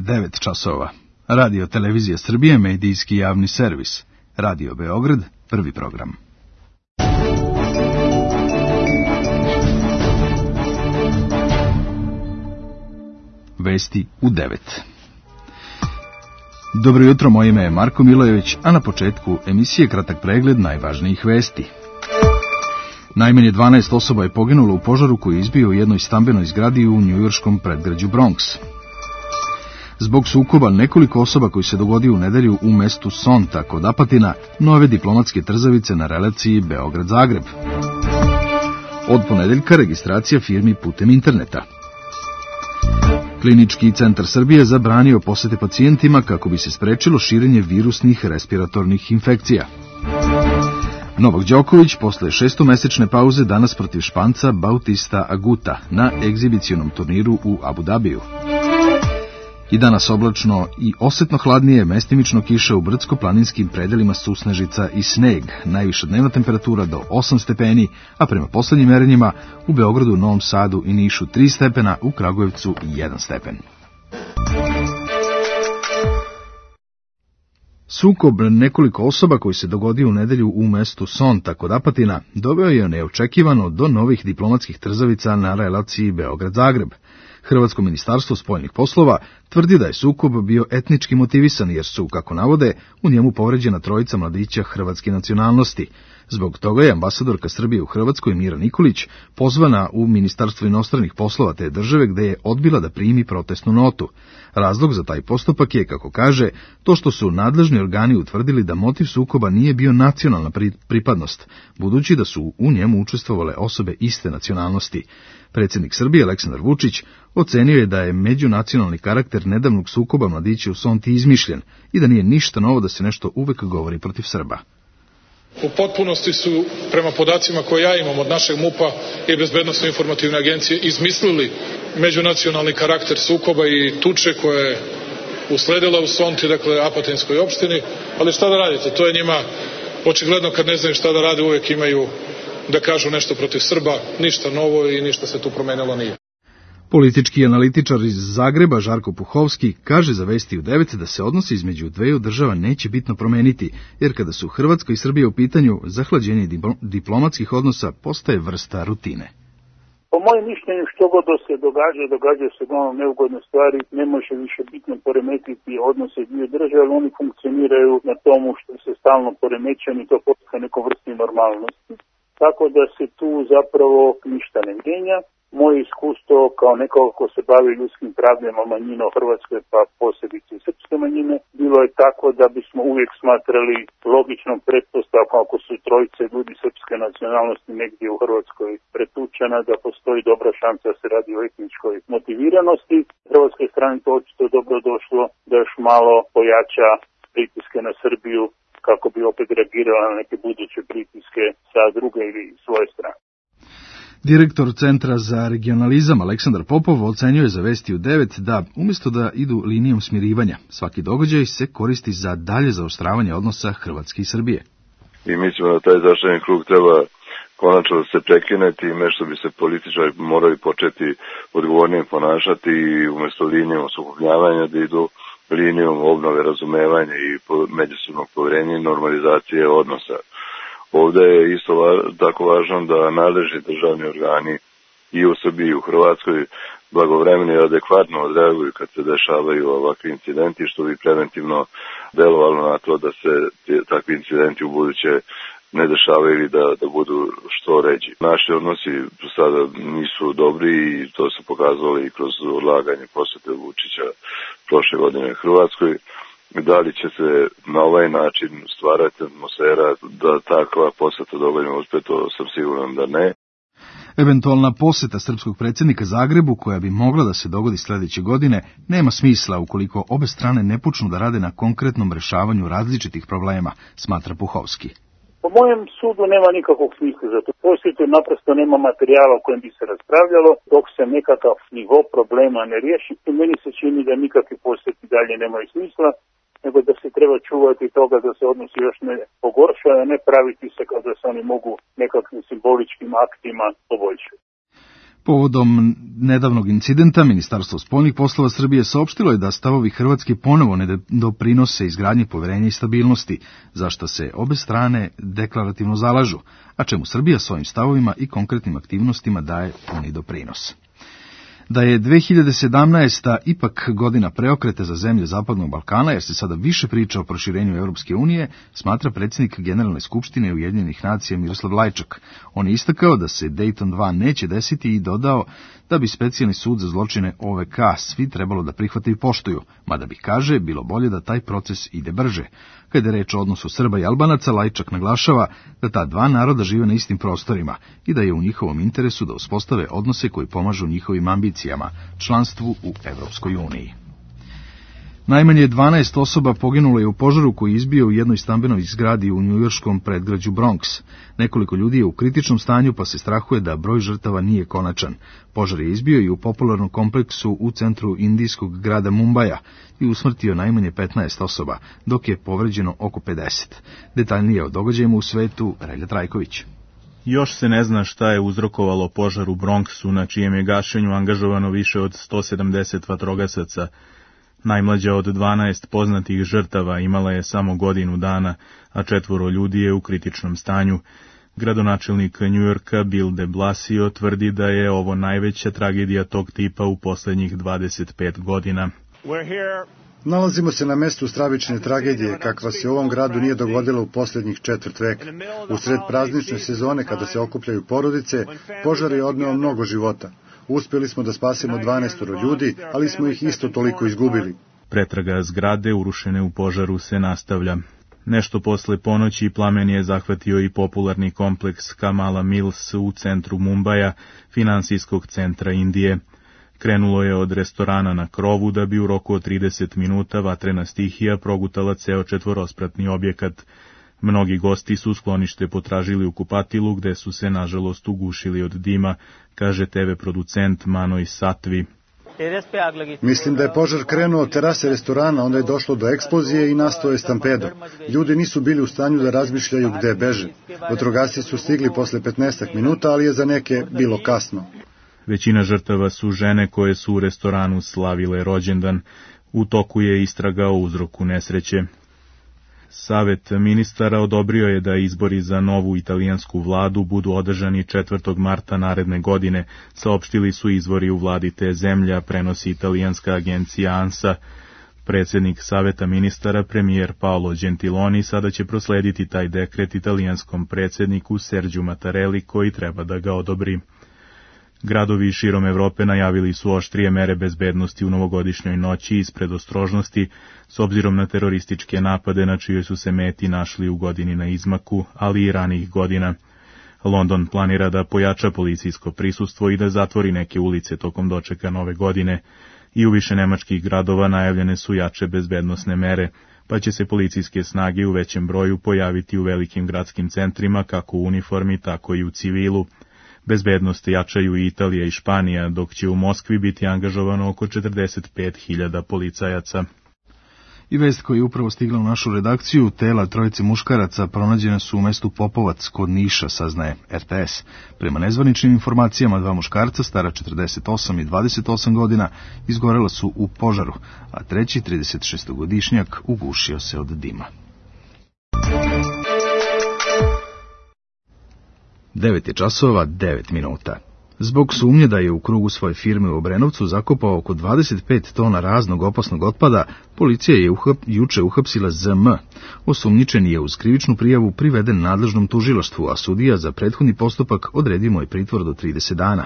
9 časova. Radio Televizija Srbije, medijski javni servis. Radio Beograd, prvi program. Vesti u 9. Dobro jutro, moje ime je Marko Milojević, a na početku emisije kratak pregled najvažnijih vesti. Najmanje 12 osoba je poginulo u požaru koji je izbio u jednoj stambenoj zgradi u njujorškom predgrađu Bronx. Zbog sukoba nekoliko osoba koji se dogodio u nedelju u mestu Sonta kod Apatina, nove diplomatske trzavice na relaciji Beograd-Zagreb. Od ponedeljka registracija firmi putem interneta. Klinički centar Srbije zabranio posete pacijentima kako bi se sprečilo širenje virusnih respiratornih infekcija. Novak Đoković posle 6-mesečne pauze danas protiv Španca Bautista Aguta na egzibicionom turniru u Abu Dabiju. I danas oblačno i osetno hladnije, mestimično kiša u brdsko-planinskim predelima susnežica i sneg. Najviša dnevna temperatura do 8 stepeni, a prema poslednjim merenjima u Beogradu, Novom Sadu i Nišu 3 stepena, u Kragujevcu 1 stepen. Sukob nekoliko osoba koji se dogodio u nedelju u mestu Sonta kod Apatina doveo je neočekivano do novih diplomatskih trzavica na relaciji Beograd-Zagreb. Hrvatsko ministarstvo spoljnih poslova tvrdi da je sukob bio etnički motivisan jer su, kako navode, u njemu povređena trojica mladića hrvatske nacionalnosti. Zbog toga je ambasadorka Srbije u Hrvatskoj Mira Nikolić pozvana u Ministarstvo inostranih poslova te države gde je odbila da primi protestnu notu. Razlog za taj postupak je, kako kaže, to što su nadležni organi utvrdili da motiv sukoba nije bio nacionalna pripadnost, budući da su u njemu učestvovale osobe iste nacionalnosti. Predsjednik Srbije Aleksandar Vučić ocenio je da je međunacionalni karakter nedavnog sukoba mladića u Sonti izmišljen i da nije ništa novo da se nešto uvek govori protiv Srba. U potpunosti su, prema podacima koje ja imam od našeg MUP-a i Bezbednosno informativne agencije, izmislili međunacionalni karakter sukoba i tuče koja je usledila u Sonti, dakle Apatinskoj opštini, ali šta da radite, to je njima očigledno kad ne znaju šta da rade, uvek imaju da kažu nešto protiv Srba, ništa novo i ništa se tu promenilo nije. Politički analitičar iz Zagreba Žarko Puhovski kaže za Vesti u 9 da se odnosi između dveju država neće bitno promeniti, jer kada su Hrvatska i Srbija u pitanju, zahlađenje diplomatskih odnosa postaje vrsta rutine. Po mojem mišljenju, što god da se događa se uglavnom neugodne stvari, ne može više bitno poremetiti odnose dvije države, ali oni funkcioniraju na tomu što se stalno poremećaju i to postaje neko vrsti normalnosti. Tako da se tu zapravo ništa ne mijenja. Moje iskustvo kao nekoga ko se bavi ljudskim pravima manjina u Hrvatskoj, pa posebice i srpske manjine, bilo je tako da bismo uvijek smatrali logičnom pretpostavkom ako su trojice ljudi srpske nacionalnosti negdje u Hrvatskoj pretučena, da postoji dobra šansa da se radi o etničkoj motiviranosti. Hrvatskoj strani to očito dobro došlo da još malo pojača pritiske na Srbiju kako bi opet reagirala na neke buduće pritiske sa druge ili svoje strane. Direktor Centra za regionalizam Aleksandar Popov ocenjuje za Vesti u 9 da, umjesto da idu linijom smirivanja, svaki događaj se koristi za dalje zaoštravanje odnosa Hrvatske i Srbije. I mislimo da taj začarani krug treba konačno da se prekine time što bi se političari morali početi odgovornije ponašati i umjesto linijom sukobljavanja da idu linijom obnove razumevanja i međusobnog poverenja i normalizacije odnosa. Ovdje je isto tako važno da nadležni državni organi i u Srbiji i u Hrvatskoj blagovremeno i adekvatno odreaguju kad se dešavaju ovakvi incidenti, što bi preventivno delovalo na to da se takvi incidenti u buduće ne dešavaju ili da budu što ređi. Naši odnosi sada nisu dobri i to se pokazalo i kroz odlaganje posete Vučića prošle godine u Hrvatskoj. Da li će se na ovaj način stvarati atmosfera da takva poseta dovoljno uspe, to sam siguran da ne. Eventualna poseta srpskog predsjednika Zagrebu, koja bi mogla da se dogodi sljedeće godine, nema smisla ukoliko obe strane ne počnu da rade na konkretnom rešavanju različitih problema, smatra Puhovski. Po mojem sudu nema nikakvog smisla za to. Posjetu naprosto nema materijala o kojem bi se raspravljalo, dok se nekakav nivo problema ne riješi. I meni se čini da nikakvi posjeti dalje nemaju smisla, nego da se treba čuvati toga da se odnosi još ne pogoršaju, a ne praviti se kao da se oni mogu nekakvim simboličkim aktima poboljšati. Povodom nedavnog incidenta, Ministarstvo spoljnih poslova Srbije saopštilo je da stavovi Hrvatske ponovo ne doprinose izgradnji poverenja i stabilnosti, za što se obe strane deklarativno zalažu, a čemu Srbija svojim stavovima i konkretnim aktivnostima daje puni doprinos. Da je 2017. ipak godina preokreta za zemlje Zapadnog Balkana, jer se sada više priča o proširenju Europske unije, smatra predsjednik Generalne skupštine Ujedinjenih nacija Miroslav Lajčak. On je istakao da se Dayton 2 neće desiti i dodao da bi specijalni sud za zločine OVK svi trebalo da prihvate i poštuju, mada bi, kaže, bilo bolje da taj proces ide brže. Kada je reč o odnosu Srba i Albanaca, Lajčak naglašava da ta dva naroda žive na istim prostorima i da je u njihovom interesu da uspostave odnose koji pomažu njihovim ambicijama, članstvu u Evropskoj uniji. Najmanje 12 osoba poginulo je u požaru koji je izbio u jednoj stambenoj zgradi u njujorškom predgrađu Bronx. Nekoliko ljudi je u kritičnom stanju, pa se strahuje da broj žrtava nije konačan. Požar je izbio i u popularnom kompleksu u centru indijskog grada Mumbaja i usmrtio najmanje 15 osoba, dok je povređeno oko 50. Detaljnije o događajima u svetu, Relja Trajković. Još se ne zna šta je uzrokovalo požar u Bronxu, na čijem je gašenju angažovano više od 170 vatrogasaca. Najmlađa od 12 poznatih žrtava imala je samo godinu dana, a 4 ljudi je u kritičnom stanju. Gradonačelnik Njujorka Bill de Blasio tvrdi da je ovo najveća tragedija tog tipa u posljednjih 25 godina. Nalazimo se na mestu stravične tragedije, kakva se u ovom gradu nije dogodila u posljednjih 4 veka. Usred praznične sezone, kada se okupljaju porodice, požar je odneo mnogo života. Uspjeli smo da spasimo 12 ljudi, ali smo ih isto toliko izgubili. Pretraga zgrade urušene u požaru se nastavlja. Nešto posle ponoći plamen je zahvatio i popularni kompleks Kamala Mills u centru Mumbaja, finansijskog centra Indije. Krenulo je od restorana na krovu da bi u roku od 30 minuta vatrena stihija progutala ceo 4-spratni objekat. Mnogi gosti su sklonište potražili u kupatilu, gde su se nažalost ugušili od dima, kaže TV producent Manoj Satvi. Mislim da je požar krenuo od terase restorana, onda je došlo do eksplozije i nastao je stampedo. Ljudi nisu bili u stanju da razmišljaju gde beže. Vatrogasci su stigli posle 15 minuta, ali je za neke bilo kasno. Većina žrtava su žene koje su u restoranu slavile rođendan. U toku je istraga o uzroku nesreće. Savet ministara odobrio je da izbori za novu italijansku vladu budu održani 4. marta naredne godine, saopštili su izvori u vladi te zemlje, prenosi italijanska agencija ANSA. Predsjednik Saveta ministara, premijer Paolo Gentiloni, sada će proslediti taj dekret italijanskom predsjedniku Sergiu Mattarelli, koji treba da ga odobri. Gradovi širom Evrope najavili su oštrije mere bezbednosti u novogodišnjoj noći iz predostrožnosti, s obzirom na terorističke napade na čijoj su se meti našli u godini na izmaku, ali i ranih godina. London planira da pojača policijsko prisustvo i da zatvori neke ulice tokom dočeka nove godine. I u više nemačkih gradova najavljene su jače bezbednosne mere, pa će se policijske snage u većem broju pojaviti u velikim gradskim centrima, kako u uniformi, tako i u civilu. Bezbednost jačaju i Italija i Španija, dok će u Moskvi biti angažovano oko 45.000 policajaca. I vest koja je upravo stigla u našu redakciju, tela 3 muškaraca pronađena su u mestu Popovac kod Niša, saznaje RTS. Prema nezvaničnim informacijama, 2 muškarca, stara 48 i 28 godina, izgorela su u požaru, a treći, 36-godišnjak, ugušio se od dima. 9 je časova, 9 minuta. Zbog sumnje da je u krugu svoje firme u Obrenovcu zakopao oko 25 tona raznog opasnog otpada, policija je juče uhapsila ZM. Osumnjičeni je uz krivičnu prijavu priveden nadležnom tužilaštvu, a sudija za prethodni postupak odredio mu je pritvor do 30 dana.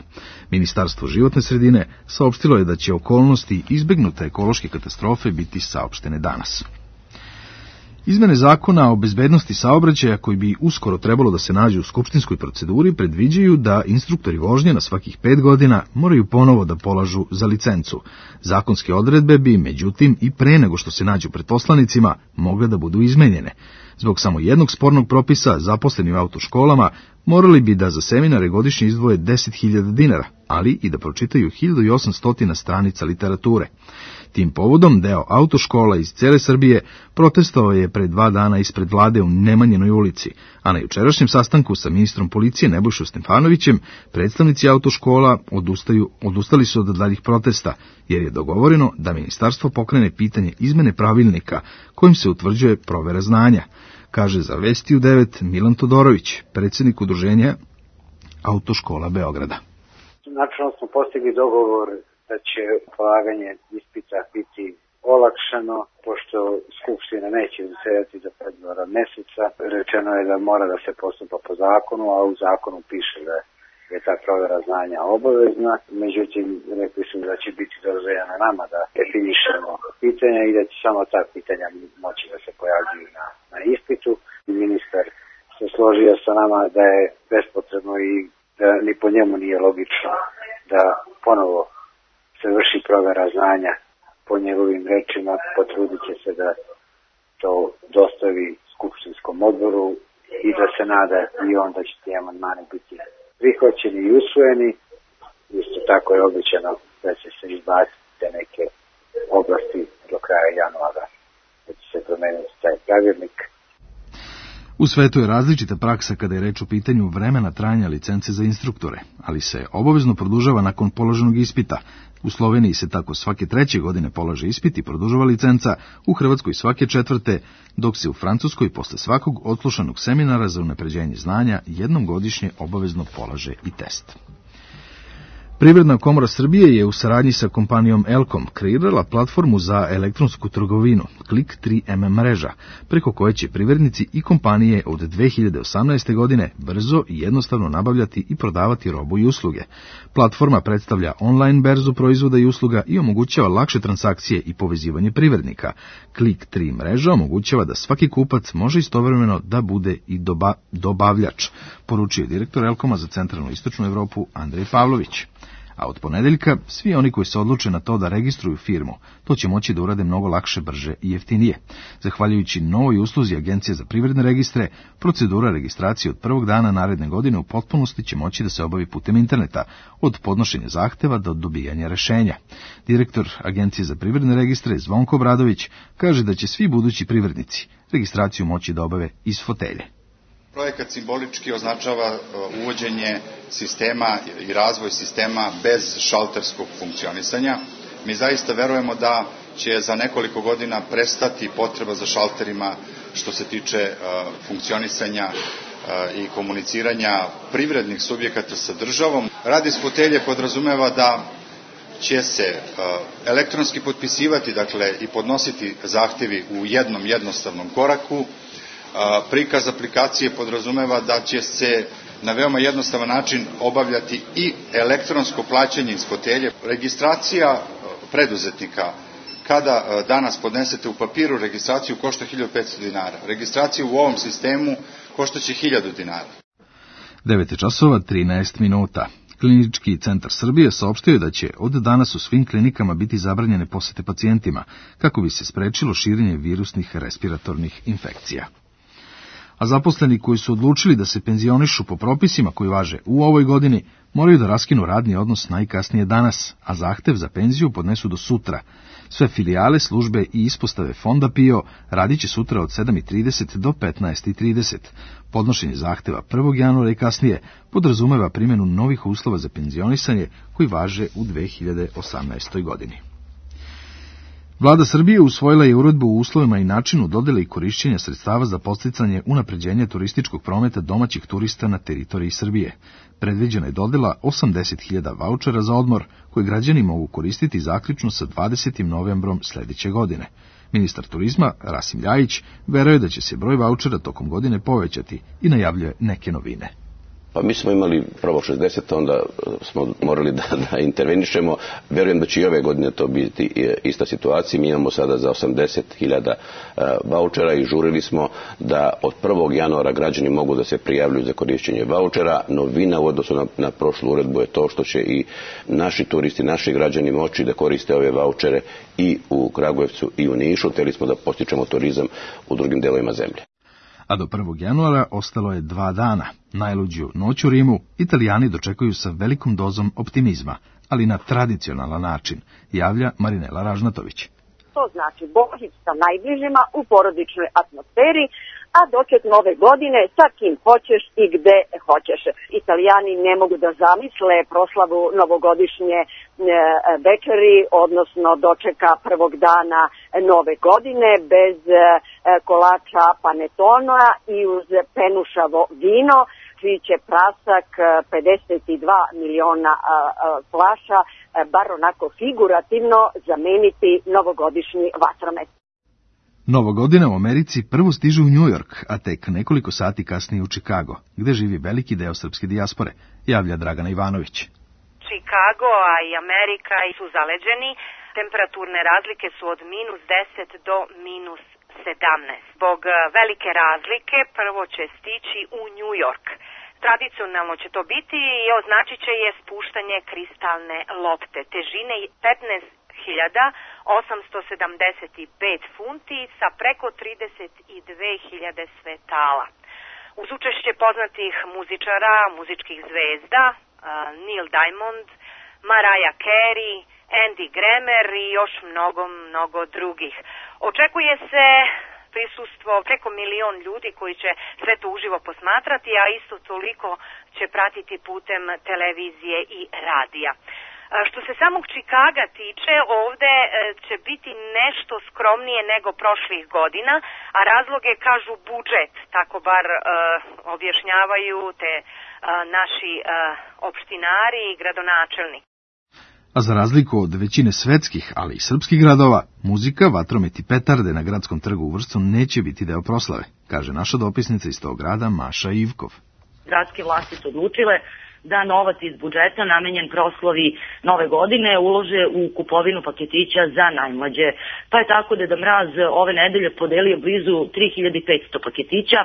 Ministarstvo životne sredine saopštilo je da će okolnosti izbegnute ekološke katastrofe biti saopštene danas. Izmene zakona o bezbednosti saobraćaja, koji bi uskoro trebalo da se nađu u skupštinskoj proceduri, predviđaju da instruktori vožnje na svakih 5 godina moraju ponovo da polažu za licencu. Zakonske odredbe bi, međutim, i pre nego što se nađu pred poslanicima, mogle da budu izmenjene. Zbog samo jednog spornog propisa, zaposleni u autoškolama morali bi da za seminare godišnje izdvoje 10.000 dinara, ali i da pročitaju 1800 stranica literature. Tim povodom deo autoškola iz cele Srbije protestovao je pre 2 dana ispred vlade u Nemanjinoj ulici, a na jučerašnjem sastanku sa ministrom policije Nebojšom Stefanovićem predstavnici autoškola odustali su od daljih protesta, jer je dogovoreno da ministarstvo pokrene pitanje izmene pravilnika kojim se utvrđuje provera znanja, kaže za Vesti u 9 Milan Todorović, predsjednik udruženja Autoškola Beograda. Načelno smo postigli dogovor da će polaganje ispita biti olakšano, pošto Skupština neće zasedati za 2 meseca. Rečeno je da mora da se postupa po zakonu, a u zakonu piše da je ta provera znanja obavezna. Međutim, rekli su da će biti dozvoljeno nama da definišemo pitanja i da će samo ta pitanja moći da se pojavljuju na ispitu. Ministar se složio sa nama da je bespotrebno i da ni po njemu nije logično da ponovo se vrši provera znanja. Po njegovim rečima potrudit će se da to dostavi skupštinskom odboru i da se nada i onda će ti amandmani biti prihvaćeni i usvojeni. Isto tako je obećano da će se izbaciti neke oblasti do kraja januara, da će se promeniti taj pravilnik. U svetu je različita praksa kada je reč o pitanju vremena trajanja licence za instruktore, ali se obavezno produžava nakon položenog ispita. U Sloveniji se tako svake 3. godine polaže ispit i produžava licenca, u Hrvatskoj svake 4., dok se u Francuskoj posle svakog odslušanog seminara za unapređenje znanja jednom godišnje obavezno polaže i test. Privredna komora Srbije je u saradnji sa kompanijom Elkom kreirala platformu za elektronsku trgovinu, Klik 3M mreža, preko koje će privrednici i kompanije od 2018. godine brzo i jednostavno nabavljati i prodavati robu i usluge. Platforma predstavlja online berzu proizvoda i usluga i omogućava lakše transakcije i povezivanje privrednika. Klik 3 mreža omogućava da svaki kupac može istovremeno da bude i dobavljač, poručio direktor Elkoma za centralnu i istočnu Evropu Andrej Pavlović. A od ponedeljka svi oni koji se odluče na to da registruju firmu, to će moći da urade mnogo lakše, brže i jeftinije. Zahvaljujući novoj usluzi Agencije za privredne registre, procedura registracije od prvog dana naredne godine u potpunosti će moći da se obavi putem interneta, od podnošenja zahteva do dobijanja rešenja. Direktor Agencije za privredne registre Zvonko Obradović kaže da će svi budući privrednici registraciju moći da obave iz fotelje. Projekat simbolički označava uvođenje sistema i razvoj sistema bez šalterskog funkcionisanja. Mi zaista verujemo da će za nekoliko godina prestati potreba za šalterima što se tiče funkcionisanja i komuniciranja privrednih subjekata sa državom. Rad iz fotelje podrazumeva da će se elektronski potpisivati, dakle, i podnositi zahtevi u jednom jednostavnom koraku. Prikaz aplikacije podrazumeva da će se na veoma jednostavan način obavljati i elektronsko plaćanje iz fotelje. Registracija preduzetnika, kada danas podnesete u papiru registraciju, košta 1500 dinara. Registracija u ovom sistemu koštaće 1000 dinara. 9:13. Klinički centar Srbije saopštio je da će od danas u svim klinikama biti zabranjene posete pacijentima, kako bi se sprečilo širenje virusnih respiratornih infekcija. A zaposleni koji su odlučili da se penzionišu po propisima koji važe u ovoj godini, moraju da raskinu radni odnos najkasnije danas, a zahtev za penziju podnesu do sutra. Sve filijale, službe i ispostave Fonda PIO radit će sutra od 7:30 do 15:30. Podnošenje zahteva 1. januara i kasnije podrazumeva primjenu novih uslova za penzionisanje koji važe u 2018. godini. Vlada Srbije usvojila je uredbu o uslovima i načinu dodele i korišćenja sredstava za podsticanje unapređenja turističkog prometa domaćih turista na teritoriji Srbije. Predviđena je dodela 80.000 vaučera za odmor, koje građani mogu koristiti zaključno sa 20. novembrom sledeće godine. Ministar turizma Rasim Ljajić veruje da će se broj vaučera tokom godine povećati i najavljuje neke novine. Pa mi smo imali prvo 60, onda smo morali da intervenišemo. Verujem da će i ove godine to biti ista situacija. Mi imamo sada za 80.000 vaučera i žurili smo da od 1. januara građani mogu da se prijavljuju za korišćenje vaučera. Novina u odnosu na prošlu uredbu je to što će i naši turisti, naši građani moći da koriste ove vaučere i u Kragujevcu i u Nišu. Hteli smo da postičemo turizam u drugim delovima zemlje. A do 1. januara ostalo je 2 dana. Najluđu noć u Rimu Italijani dočekuju sa velikom dozom optimizma, ali na tradicionalan način, javlja Marinela Ražnatović. To znači Božić sa najbližima u porodičnoj atmosferi, a doček nove godine sa kim hoćeš i gde hoćeš. Italijani ne mogu da zamisle proslavu novogodišnje večeri, odnosno dočeka prvog dana nove godine bez kolača panetona i uz penušavo vino, čiji će prasak 52 miliona flaša, bar onako figurativno, zameniti novogodišnji vatromet. Nova godina u Americi prvo stiže u New York, a tek nekoliko sati kasnije u Chicago, gde živi veliki deo srpske dijaspore, javlja Dragana Ivanović. Chicago, a i Amerika su zaleđeni. Temperaturne razlike su od -10 do -17. Zbog velike razlike prvo će stići u New York. Tradicionalno će to biti i označit će je spuštanje kristalne lopte težine 15.875 funti sa preko 32.000 svetala. Uz učešće poznatih muzičara, muzičkih zvezda, Neil Diamond, Mariah Carey, Andy Grammer i još mnogo drugih. Očekuje se prisustvo preko 1 milion ljudi koji će sve to uživo posmatrati, a isto toliko će pratiti putem televizije i radija. Što se samog Chicaga tiče, ovde će biti nešto skromnije nego prošlih godina, a razloge kažu budžet, tako bar objašnjavaju te naši opštinari i gradonačelnik. A za razliku od većine svetskih, ali i srpskih gradova, muzika, vatromet i petarde na gradskom trgu u Vršcu neće biti deo proslave, kaže naša dopisnica iz tog grada Maša Ivkov. Gradske vlasti su odlučile da novac iz budžeta namenjen proslavi nove godine ulože u kupovinu paketića za najmlađe. Pa je tako Deda Mraz ove nedelje podelio blizu 3500 paketića,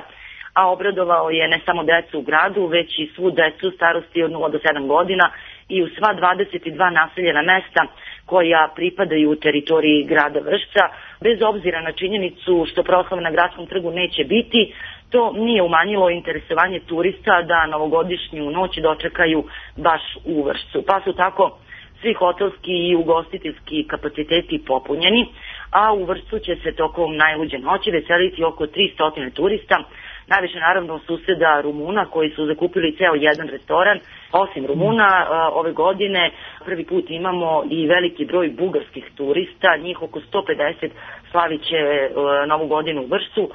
a obradovao je ne samo decu u gradu, već i svu decu starosti od 0 do 7 godina i u sva 22 naseljena mesta koja pripadaju u teritoriji grada Vršca. Bez obzira na činjenicu što proslava na gradskom trgu neće biti, to nije umanjilo interesovanje turista da novogodišnju noć dočekaju baš u Vršcu. Pa su tako svi hotelski i ugostiteljski kapaciteti popunjeni, a u Vršcu će se tokom najluđe noći veseliti oko 300 turista, najviše naravno suseda Rumuna koji su zakupili ceo jedan restoran. Osim Rumuna, ove godine prvi put imamo i veliki broj bugarskih turista, njih oko 150 slavit će novu godinu u Vršcu.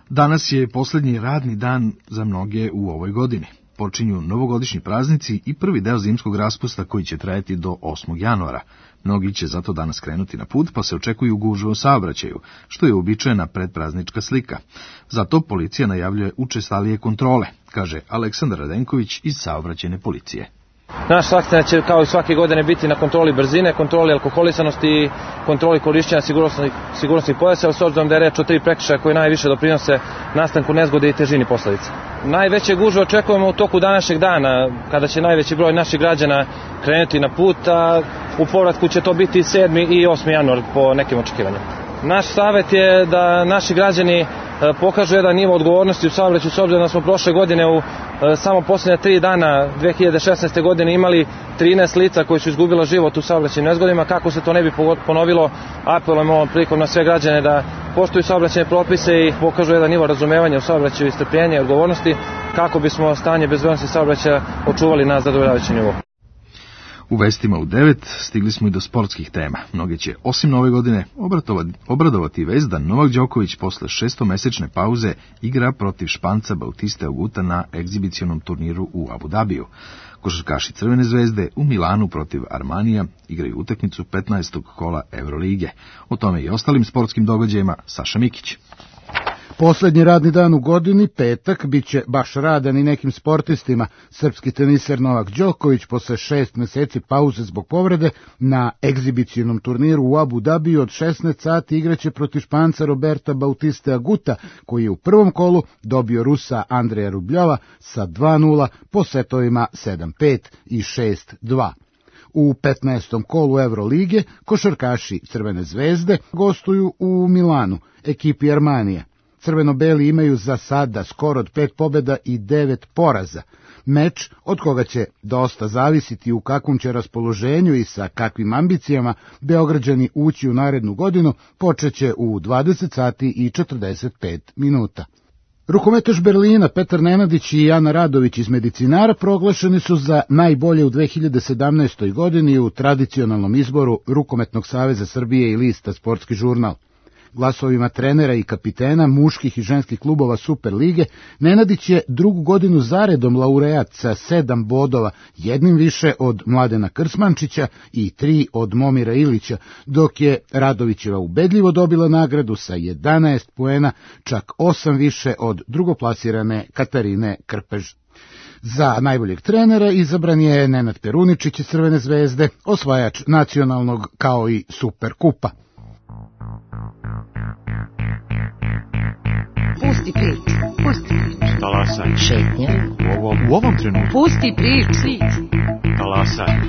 Danas je poslednji radni dan za mnoge u ovoj godini. Počinju novogodišnji praznici i prvi deo zimskog raspusta koji će trajati do 8. januara. Mnogi će zato danas krenuti na put, pa se očekuju gužve u saobraćaju, što je uobičajena predpraznička slika. Zato policija najavljuje učestalije kontrole, kaže Aleksandar Radenković iz saobraćajne policije. Naš akcenat će kao i svake godine biti na kontroli brzine, kontroli alkoholisanosti i kontroli korišćenja sigurnosnih pojasa, s obzirom da je reč o 3 prekršaja koji najviše doprinose nastanku nezgode i težini posledica. Najveće gužve očekujemo u toku današnjeg dana, kada će najveći broj naših građana krenuti na put, a u povratku će to biti 7. i 8. januar po nekim očekivanjima. Naš savjet je da naši građani pokažu jedan nivo odgovornosti u saobraćaju, s obzirom da smo prošle godine u samo posljednje 3 dana 2016. godine imali 13 lica koji su izgubila život u saobraćajnim nezgodama. Kako se to ne bi ponovilo, apelujemo ovom prilikom na sve građane da poštuju saobraćajne propise i pokažu jedan nivo razumevanja u saobraćaju i strpljenja i odgovornosti, kako bismo stanje bezbednosti saobraćaja očuvali na zadovoljavajući nivo. U vestima u 9 stigli smo i do sportskih tema. Mnoge će, osim nove godine, obradovati vest da Novak Đoković posle 6-mesečne pauze igra protiv Španca Bautiste Aguta na egzibicionom turniru u Abu Dabiju. Košarkaši Crvene zvezde u Milanu protiv Armanija igraju utakmicu 15. kola Evrolige. O tome i ostalim sportskim događajima Saša Mikić. Poslednji radni dan u godini, petak, biće baš radan i nekim sportistima. Srpski teniser Novak Đoković posle 6 meseci pauze zbog povrede na egzibicionom turniru u Abu Dabiju od 16 sati igraće protiv Španca Roberta Bautiste Aguta, koji je u prvom kolu dobio Rusa Andreja Rubljova sa 2:0 po setovima 7-5 i 6-2. U 15. kolu Evrolige košarkaši Crvene zvezde gostuju u Milanu, ekipi Armanija. Crveno-beli imaju za sada skor od 5 pobjeda i 9 poraza. Meč od koga će dosta zavisiti u kakvom će raspoloženju i sa kakvim ambicijama Beograđani ući u narednu godinu, počeće u 20 sati i 45 minuta. Rukometaš Berlina Petar Nenadić i Ana Radović iz Medicinara proglašeni su za najbolje u 2017. godini u tradicionalnom izboru Rukometnog saveza Srbije i lista Sportski žurnal. Glasovima trenera i kapitena muških i ženskih klubova Super lige, Nenadić je drugu godinu zaredom laureat sa 7 bodova, jednim više od Mladena Krsmančića i 3 od Momira Ilića, dok je Radovićeva ubedljivo dobila nagradu sa 11 poena, čak 8 više od drugoplasirane Katarine Krpež. Za najboljeg trenera izabran je Nenad Peruničić iz Crvene zvezde, osvajač nacionalnog kao i Super kupa. Pusti priču, pusti priču. Talasaj. Šetnja. U ovom trenutku. Pusti priču. Talasaj.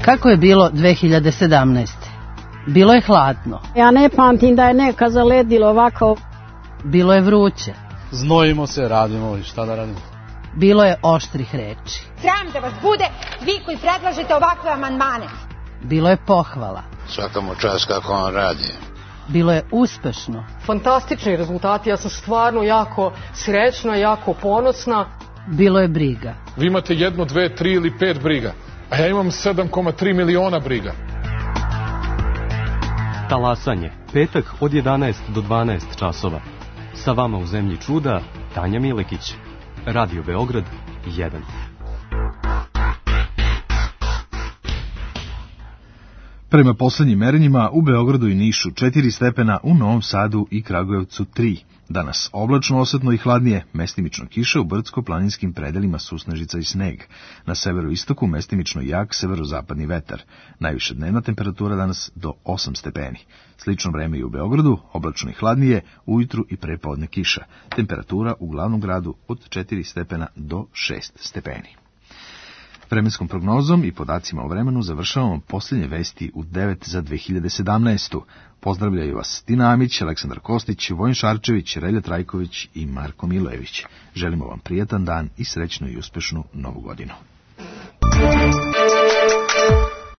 Kako je bilo 2017. Bilo je hladno. Ja ne pamtim da je neka zaledilo ovako. Bilo je vruće. Znojimo se, radimo i šta da radimo. Bilo je oštrih reči. Sram da vas bude, vi koji predlažete ovakve amandmane. Bilo je pohvala. Svaka mu čast kako on radi. Bilo je uspešno. Fantastični rezultati, ja sam stvarno jako srećna, jako ponosna. Bilo je briga. Vi imate 1, 2, 3 ili 5 briga, a ja imam 7,3 miliona briga. Talasanje, petak od 11 do 12 časova. Sa vama u zemlji čuda, Tanja Milekić. Radio Beograd 1. Prema poslednjim merenjima u Beogradu i Nišu 4 stepena, u Novom Sadu i Kragujevcu 3. Danas oblačno, osetno i hladnije, mestimično kiša, u brdsko-planinskim predelima susnežica i sneg. Na severoistoku mestimično jak severozapadni vetar. Najviša dnevna temperatura danas do 8 stepeni. Slično vreme i u Beogradu, oblačno i hladnije, ujutru i prepodne kiša. Temperatura u glavnom gradu od 4 stepena do 6 stepeni. Vremenskom prognozom i podacima o vremenu završavamo posljednje vesti u 9 za 2017. Pozdravljaju vas Tina Amić, Aleksandar Kostić, Vojin Šarčević, Relja Trajković i Marko Milojević. Želimo vam prijetan dan i srećnu i uspešnu novu godinu.